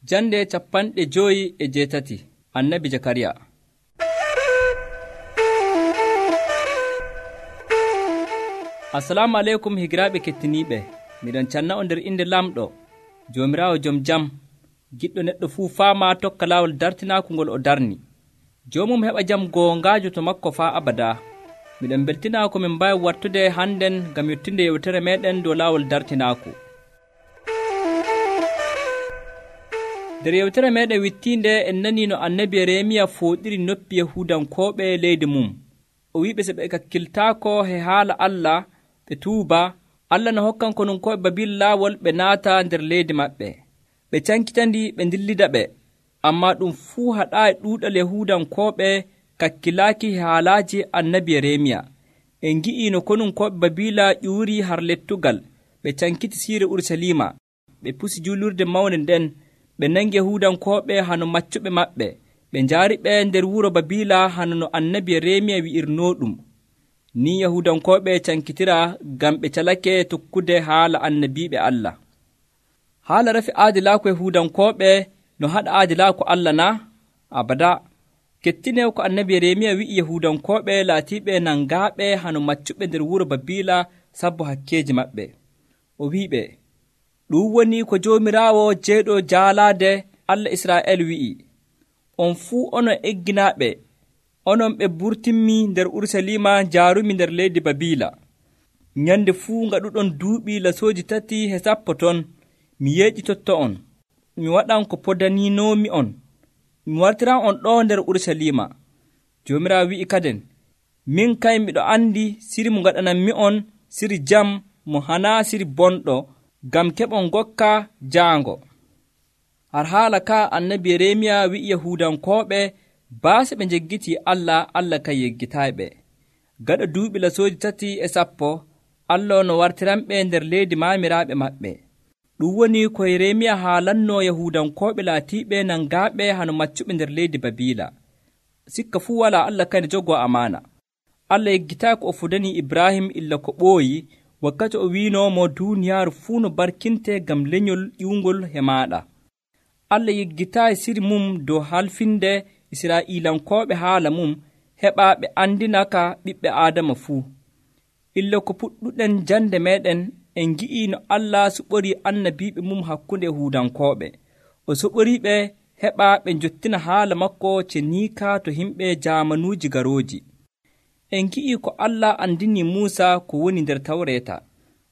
Jande 58 Annabi Jakariya. Assalamu aleykum higiraaɓe kettiniiɓe. Miɗon canna on nder inde lamɗo Joomiraawo jom jam, giɗɗo neɗɗo fuu faama tokka laawol dartinaaku ngol o darni. Joomum heɓa jam goongaajo to makko faa abadaa. Miɗon beltinaa ko min mbaawi wartude hannden ngam yottinde yewtere meeɗen dow laawol dartinaaku. nder yewtere meeɗen wittiinde en nanii no annabi Yeremiya fooɗiri noppi Yahuudankooɓe leydi mum. O wi'iɓe so ɓe kakkiltaako he haala Allah ɓe tuuba, Allah no hokkan konunkoɓe Babil laawol ɓe naata nder leydi maɓɓe. Ɓe cankitandi ɓe ndillida ɓe, ammaa ɗum fuu haɗaayi ɗuuɗal Yahuudankooɓe kakkilaaki haalaaji annabi Yeremiya. En ngi'ii no konunkoɓe Babila ƴuurii har lettugal, ɓe cankiti siire Urusalima, ɓe pusi juulurde mawnde nden, ɓe nangi Yahuudankooɓe hano maccuɓe maɓɓe, ɓe njaari ɓe nder wuro Babila hano no annabi Yeremiya wi'irnoo ɗum. Ni Yahuudankooɓe cankitira ngam ɓe calake tokkude haala annabiiɓe Allah. Haala rafi aadilaaku Yahuudankooɓe no haɗa aadilaaku Allah na? Abada. Kettine ko annabi Yeremiya wi'i Yahuudankooɓe laatiiɓe nangaaɓe hano maccuɓe nder wuro Babila sabbo hakkeeji maɓɓe. O wi'iɓe, ɗum woni ko Joomiraawo jeyɗo jaalaade Allah Israa'el wi'i: on fuu onon egginaaɓe, onon ɓe burtinmi nder Urusalima njaarumi nder leydi Babila. Nyande fuu ngaɗuɗon duuɓi lasooji 3 ton, mi yeeƴitotto on, mi waɗan ko podaniinoomi on, mi wartiran on ɗo nder Urusalima. Joomiraawo wi'i kaden, min kay miɗo andi siri mo ngaɗananmi on, siri jam mo hanaa siri bonɗo, ngam keɓon ngokka jaango. Har haala ka annabi Yeremiya wi'i Yahuudankooɓe baase ɓe njeggitii Allah, Allah kay yeggitayɓe. Gaɗa duuɓi lasooji 3 Allah no wartiranɓe nder leydi maamiraaɓe maɓɓe. Ɗum woni ko Yeremiya haalannoo Yahuudankooɓe laatiiɓe nangaaɓe hano maccuɓe nder leydi Babila. Sikka fuu walaa Allah kay ne jogoo amaana. Allah yeggitaay ko o fudanii Ibrahim illa ko ɓooyi, wakkati o wiinoomo duuniyaaru fuu no barkinte ngam lenyol ƴiwngol he maaɗa. Allah yeggitaayi siri mum dow halfinde Israa'iilankooɓe haala mum, heɓa ɓe andinaka ɓiɓɓe Aadama fuu. Illa ko puɗɗuɗen jande meeɗen, en ngi'ii no Allah suɓorii annabiiɓe mum hakkunde Yahuudankooɓe. O suɓoriiɓe heɓa ɓe njottina haala makko ceniika to himɓe jaamanuuji garooji. En ngi'ii ko Allah andini Muusa ko woni nder Tawreeta.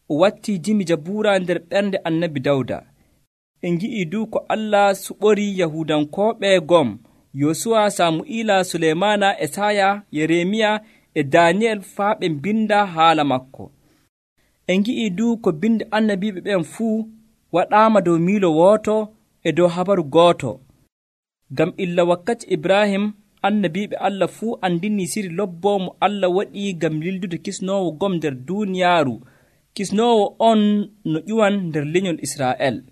O wattii jimi Jabuura nder ɓernde annabi Dawda. En ngi'ii du ko Allah suɓorii Yahuudankooɓe gom, Yosuwa, Samu'iila, Suleymaana, Esaya, Yeremiya e Daaniyel faa ɓe mbinda haala makko. En ngi'ii du ko binde annabiiɓe ɓen fuu waɗaama dow miilo wooto e dow habaru gooto. Ngam illa wakkati Ibrahim, annabiiɓe Allah fuu andini siri lobboo mo Allah waɗii ngam lildude kisnoowo gom nder duuniyaaru, kisnoowo on no ƴuwan nder lenyol Israa'el.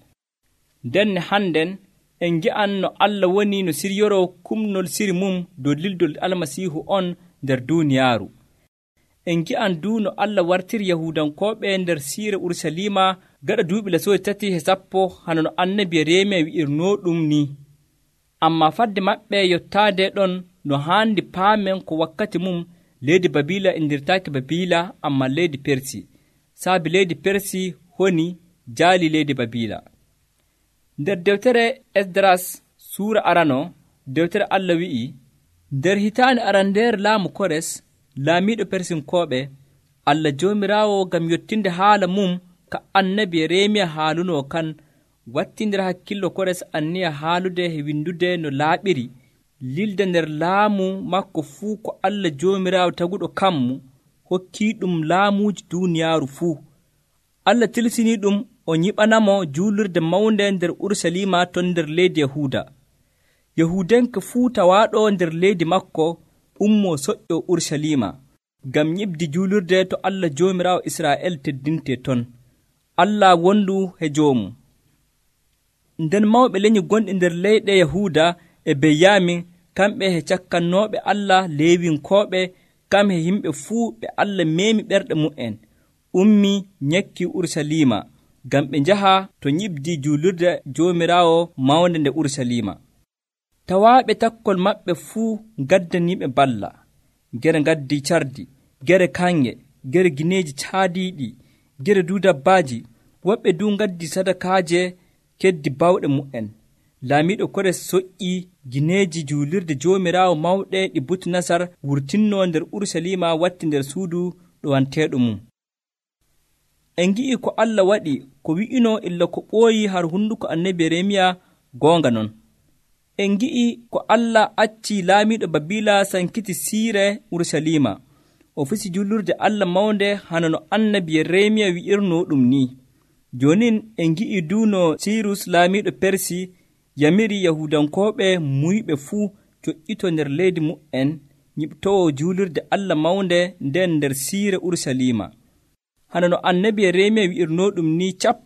Ndenne hannden en ngi'an no Allah woni no siryoroo kumnol siri mum dow lildol Almasiihu on nder duuniyaaru. En ngi'an du no Allah wartiri Yahuudankooɓe nder siire Urusalima gaɗa duuɓi lasooji 3 hano no annabi Yeremiya wi'irnoo ɗum ni. Ammaa fadde maɓɓe yottaade ɗon no haandi paamen ko wakkati mum leydi Babila indirtaaki Babila, ammaa leydi Persi, saabi leydi Persi honi jaali leydi Babila. Nder dewtere Esdras suura arano, dewtere Allah wi'i, nder hitaande arandeere laamu Kores, laamiiɗo Persinkooɓe, Allah Joomiraawo ngam yottinde haala mum ka annabi Yeremiya haalunoo kan, watti nder hakkillo Kores anniya haalude e windude no laaɓiri, lilda nder laamu makko fuu ko Allah Joomiraawo taguɗo kammu hokkii ɗum laamuuji duuniyaaru fuu. Allah tilsinii ɗum o nyiɓanamo juulurde mawnde nder Urusalima ton nder leydi Yahuuda. Yahuudenke fuu tawaaɗo nder leydi makko ummoo soƴƴo Urusalima ngam nyiɓdi juulurde to Allah Joomiraawo Israa'el teddinte ton. Allah wondu he joomu. Nden mawɓe lenyi gonɗi nder leyɗe Yahuuda e Benyamin, kamɓe he cakkannooɓe Allah Leewinkooɓe, kam he yimɓe fuu ɓe Allah meemi ɓerɗe mu'en, ummi nyakki Urusalima, ngam ɓe njaha to nyiɓdi juulirde Joomiraawo mawnde nde Urusalima. Tawaaɓe takkol maɓɓe fuu ngaddaniiɓe balla, gere ngaddi cardi, gere kanŋe, gere gineeji caadiiɗi, gere duu dabbaaji. Woɓɓe duu ngaddi sadakaaje keddi bawɗe mu'en. Laamiiɗo Kores soƴƴii gineeji juulirde Joomiraawo mawɗe ɗi Butunasar wurtinnoo nder Urusalima watti nder suudu ɗowanteeɗo mum. En ngi'ii ko Allah waɗi ko wi'inoo illa ko ɓooyi har hunduko annabi Yeremiya goonga non. En ngi'ii ko Allah accii laamiiɗo Babiila sankiti siire Urusalima o fusi juulurde Allah mawnde hana no annabi Yeremiya wi'irnoo ɗum ni. Joonin en ngi'ii duu no Sirus laamiiɗo Persi yamiri Yahudankooɓe muyɓe fuu coƴƴito nder leydi mu'en nyiɓtoo juulurde Allah mawnde nden nder siire Urusalima. Hana no annabi Yeremiya wi'irnoo ɗum ni cap.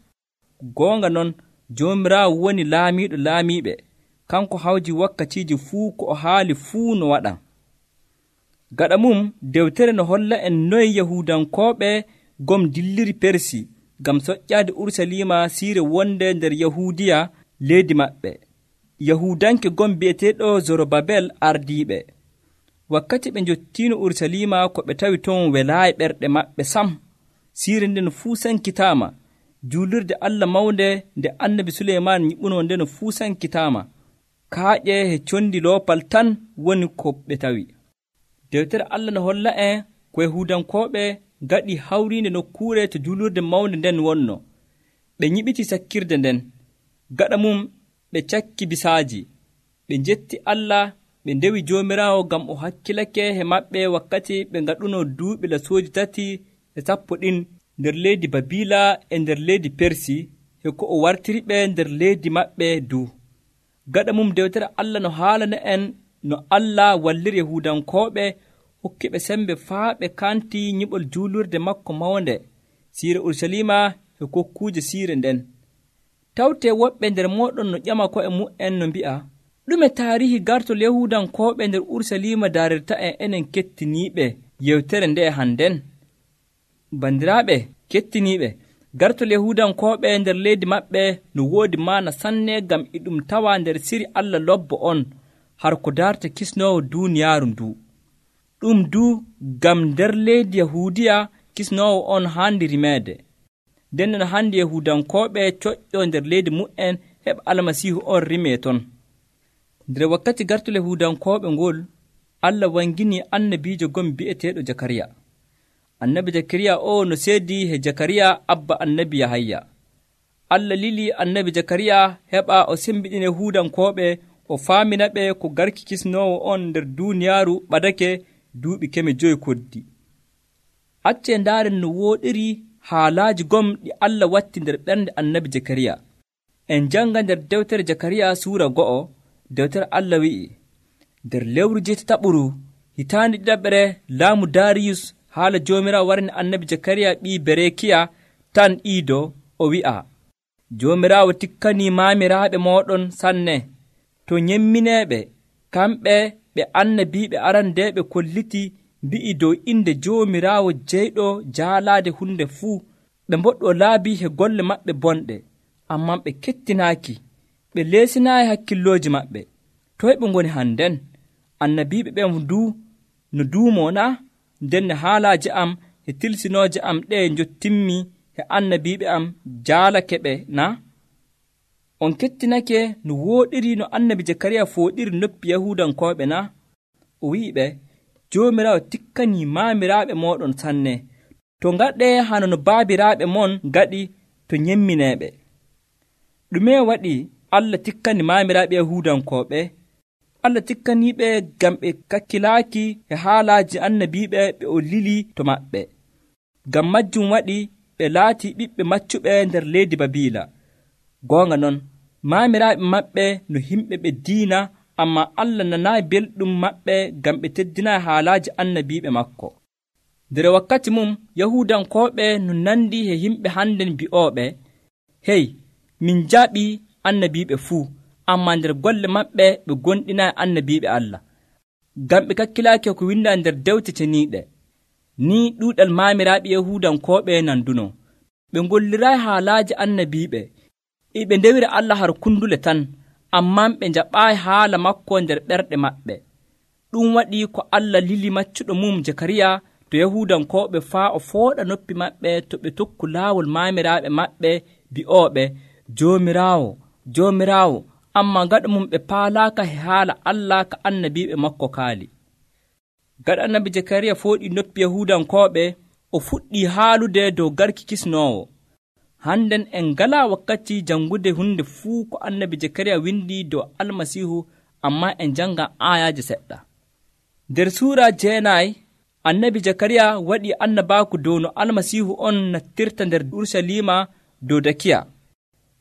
Goonga non, Joomiraawo woni laamiiɗo laamiiɓe, kanko hawji wakkatiiji fuu ko o haali fuu no waɗa. Gaɗa mum dewtere no holla en noye Yahudankooɓe gom dilliri Persi ngam soƴƴaade Urusalima siire wonde nder Yahuudiya leydi maɓɓe. Yahudanke gom bi'eteeɗo Zorobabel ardiiɓe. Wakkati ɓe njottiino Urusalima ko ɓe tawi ton welaayi ɓerɗe maɓɓe sam. Siire nden fuu sankitaama. Juulirde Allah mawnde nde annabi Suleyman nyiɓunoo nden fuu sankitaama. Kaaƴe e condi loopal tan woni ko ɓe tawi. Dewtere Allah no holla en ko Yahudankooɓe ngaɗi hawriinde nokkuure to juulurde mawnde nden wonno. Ɓe nyiɓiti sakkirde nden. Gaɗa mum ɓe cakki bisaaji. Ɓe njetti Allah, ɓe ndewi Joomiraawo ngam o hakkilake he maɓɓe wakkati ɓe ngaɗunoo duuɓi lasooji 3 ɗin nder leydi Babiila e nder leydi Persi he ko o wartiri ɓe nder leydi maɓɓe duu. Gaɗa mum dewtere Allah no haalana en no Allah walliri Yahudankooɓe hokki ɓe sembe faa ɓe kanti nyiɓol juulurde makko mawnde siire Urusalima e kokkuuje siire nden. Tawtee woɓɓe nder mooɗon no ƴama ko'e mu'en no mbi'a, ɗume taarihi gartol Yahudankooɓe nder Urusalima daarirta en enen kettiniiɓe yewtere nde hannden? Bandiraaɓe kettiniiɓe, gartol Yahudankooɓe nder leydi maɓɓe no woodi maana sanne ngam e ɗum tawa nder siri Allah lobbo on har ko darta kisnoowo duuniyaaru nduu. Ɗum duu ngam nder leydi Yahuudiya kisnoowo on haandi rimeede. Nden non hande Yahudankooɓe coƴƴo nder leydi mu'en heɓa Almasiihu on rimee ton. Nder wakkati gartol Yahudankooɓe ngol, Allah wanginii annabiijo gom bi'eteeɗo Jakariya. Annabi Jakariya o no seedii he Jakariya abba annabi Yahaya. Allah lili annabi Jakariya heɓa o sembiɗina Yahudankooɓe o faamina ɓe ko garki kisnoowo on nder duuniyaaru ɓadake duuɓi 5 koddi. Accee ndaaren no wooɗiri haalaaji gom ɗi Allah watti nder ɓernde annabi Jakariya. En janga nder dewtere Jakariya suura 2, dewtere Allah wi'i, nder lewru 8 hitaande 2 laamu Dariyus haala Joomiraawo warni annabi Jakariya ɓii Berekiya tan Iido o wi'a, Joomiraawo tikkanii maamiraaɓe mooɗon sanne to nyemmineeɓe, kamɓe ɓe annabiiɓe arandeeɓe kolliti mbi'i dow inde Joomiraawo jeyɗo jaalaade hunde fuu. Ɓe mboɗɗoo laabi he golle maɓɓe bonɗe, amman ɓe kettinaaki, ɓe leesinaayi hakkillooji maɓɓe. Toye ɓe ngoni hannden? Annabiiɓe ɓen duu no duumoo na? Nden haalaaji am e tilsinooje am ɗe njottimmi he annabiiɓe am jaalake ɓe na? On kettinake no wooɗiri no annabi Jakariya fooɗiri noppi Yahudankooɓe na? O wi'i ɓe, Joomiraawo tikkanii maamiraaɓe mooɗon sanne, to ngaɗee hano no baabiraaɓe mon ngaɗi to nyemmineeɓe. Ɗume waɗi Allah tikkani maamiraaɓe Yahudankooɓe? Allah tikkaniiɓe ngam ɓe kakkilaaki e haalaaji annabiiɓe ɓe o lili to maɓɓe. Ngam majjum waɗi ɓe laatii ɓiɓɓe maccuɓe nder leydi Babiila. Goonga non, maamiraaɓe maɓɓe no himɓe ɓe diina, ammaa Allah nanaayi belɗum maɓɓe ngam ɓe teddinaayi haalaaji annabiiɓe makko. Nder wakkati mum Yahudankooɓe no nandi e yimɓe hannden bi'ooɓe, hey, min jaɓii annabiiɓe fuu, ammaa nder golle maɓɓe ɓe gonɗinaayi annabiiɓe Allah. Ngam ɓe kakkilaaki ko windaa nder dewte ceniiɗe. Ni ɗuuɗal maamiraaɓe Yahudankooɓe nanduno. ɓe ngollirayi haalaaji annabiiɓe, ɓe ndewira Allah har kundule tan, amman ɓe njaɓaayi haala makko nder ɓerɗe maɓɓe. ɗum waɗi ko Allah lili maccuɗo mum Jakariya to Yahuudankooɓe faa o fooɗa noppi maɓɓe to ɓe tokku laawol maamiraaɓe maɓɓe bi'ooɓe, Joomiraawo, Joomiraawo, amma gaɗa mum ɓe paalaaka he haala Allah ka annabiiɓe makko kaali. Gaɗa annabi Jakariya fooɗi noppi Yahuudankooɓe, o fuɗɗii haalude dow garki kisnoowo. Hannden en ngalaa wakkati jangude hunde fuu ko annabi Jakariya windi dow Almasiihu, amma en janga aayaaje seɗɗa. Nder suura 9 annabi Jakariya waɗi annabaaku dow no Almasiihu on nattirta nder Urusalima dow dakiya.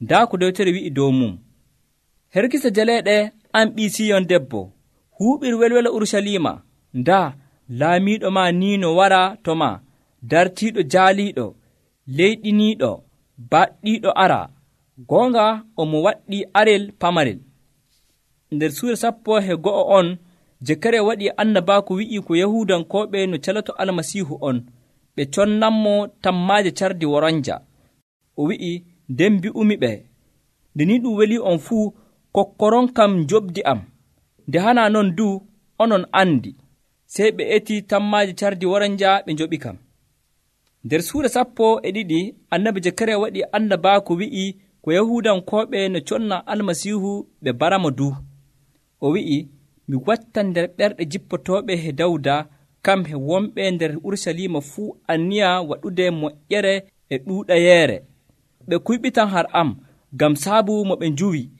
Ndaa ko dewtere wi'i dow mum: herkisa jaleeɗe an ɓii Siyon debbo, huuɓir welwelo Urusalima. Ndaa laamiiɗo ma niino wara to ma, dartiiɗo jaaliiɗo, leyɗiniiɗo, baɗɗiiɗo ara. Goonga omo waɗɗi arel pamarel. Nder suura 11 on Jakariya waɗi annabaaku wi'i ko Yahuudankooɓe no caloto Almasiihu on, ɓe connanmo tammaaje cardi woronja. O wi'i, nden mbi'umi ɓe, nde ni ɗum weli on fuu, kokkoron kam njoɓdi am. Nde hana non du onon andi. Sey ɓe eti tammaaje cardi woronja ɓe njoɓi kam. Nder suura 12 annabi Jakariya waɗi annabaaku wi'i ko Yahuudankooɓe no conna Almasiihu ɓe baramo du. O wi'i, mi wattan nder ɓerɗe jippotooɓe he Dawda, kam he wonɓe nder Urusalima fuu anniya waɗude moƴƴere e ɗuuɗayeere. Ɓe kuyɓitan har am, ngam saabu mo ɓe njuwi.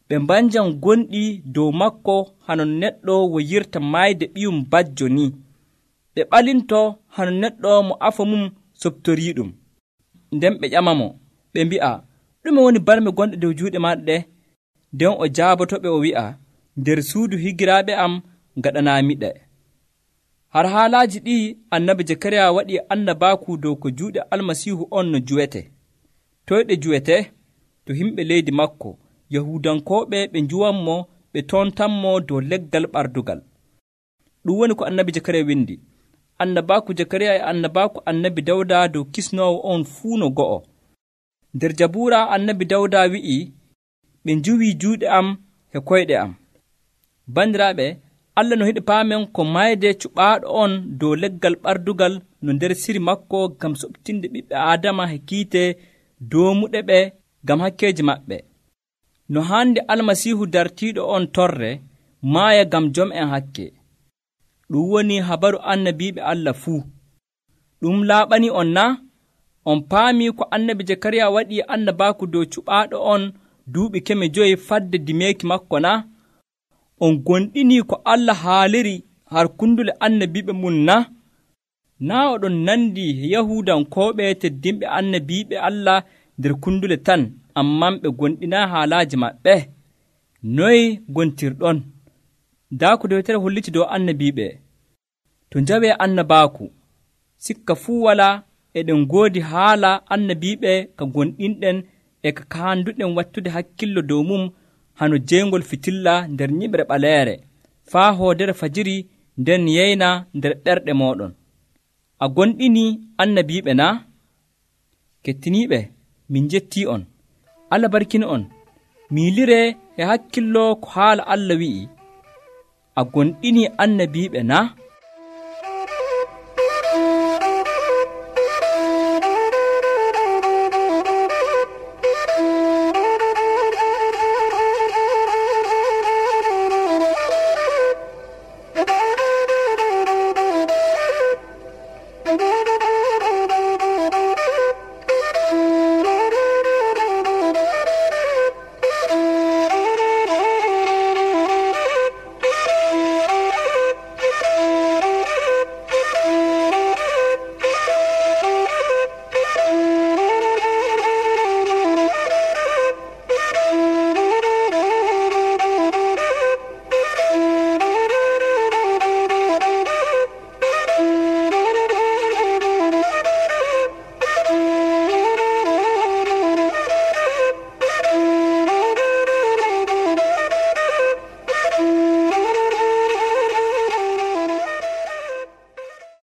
Ɓe mbanjan gonɗi dow makko hanon neɗɗo woyirta maayde ɓiyum bajjo ni. Ɓe ɓalinto hanon neɗɗo mo afa mum soptoriiɗum. Nden ɓe ƴamamo, ɓe mbi'a, ɗume woni barme gonɗe dow juuɗe maaɗa ɗe? Nden o jaabotoɓe o wi'a, nder suudu higiraaɓe am gaɗanaamiɗe. Har haalaaji ɗi annabi Jakariya waɗi annabaaku dow ko juuɗe Almasiihu on no juwete. Toyɗe juwete? To himɓe leydi makko, Yahuudankooɓe ɓe njuwanmo, ɓe tontanmo dow leggal ɓardugal. Ɗum woni ko annabi Jakariya windi. Annabaaku Jakariya e annabaaku annabi Dawda dow kisnoowo on fuu no go'o. Nder Jabuura annabi Dawda wi'i, ɓe njuwii juuɗe am e koyɗe am. Bandiraaɓe, Allah no yiɗi paamen ko mayde cuɓaaɗo on dow leggal ɓardugal no nder siri makko ngam soɓtinde ɓiɓɓe Aadama he kiite doomuɗe ɓe ngam hakkeeji maɓɓe. No haandi Almasiihu dartiiɗo on torre, maaya ngam jom'en hakke. Ɗum woni habaru annabiiɓe Allah fuu. Ɗum laaɓanii on na? On paamii ko annabi Jakariya waɗi annabaaku dow cuɓaaɗo on duuɓi 5 fadde dimeeki makko na? On gonɗinii ko Allah haaliri har kundule annabiiɓe mum na? Naa oɗon nandi Yahuudankooɓe teddinɓe annabiiɓe Allah nder kundule tan, amman ɓe gonɗinaa haalaaji maɓɓe? Noye gontirɗon? Ndaa ko dewtere holliti dow annabiiɓe. To njawee annabaaku, sikka fuu walaa eɗen ngoodi haala annabiiɓe ka gonɗinɗen e ka kaanduɗen wattude hakkillo dow mum hano jeygol fitilla nder nyiɓre ɓaleere, faa hoodere fajiri nden yeyna nder ɓerɗe mooɗon. A gonɗinii annabiiɓe naa? Kettiniiɓe, min njettii on. Allah barkina on. Miiliree e hakkillo ko haala Allah wi'i. A gonɗinii annabiiɓe naa?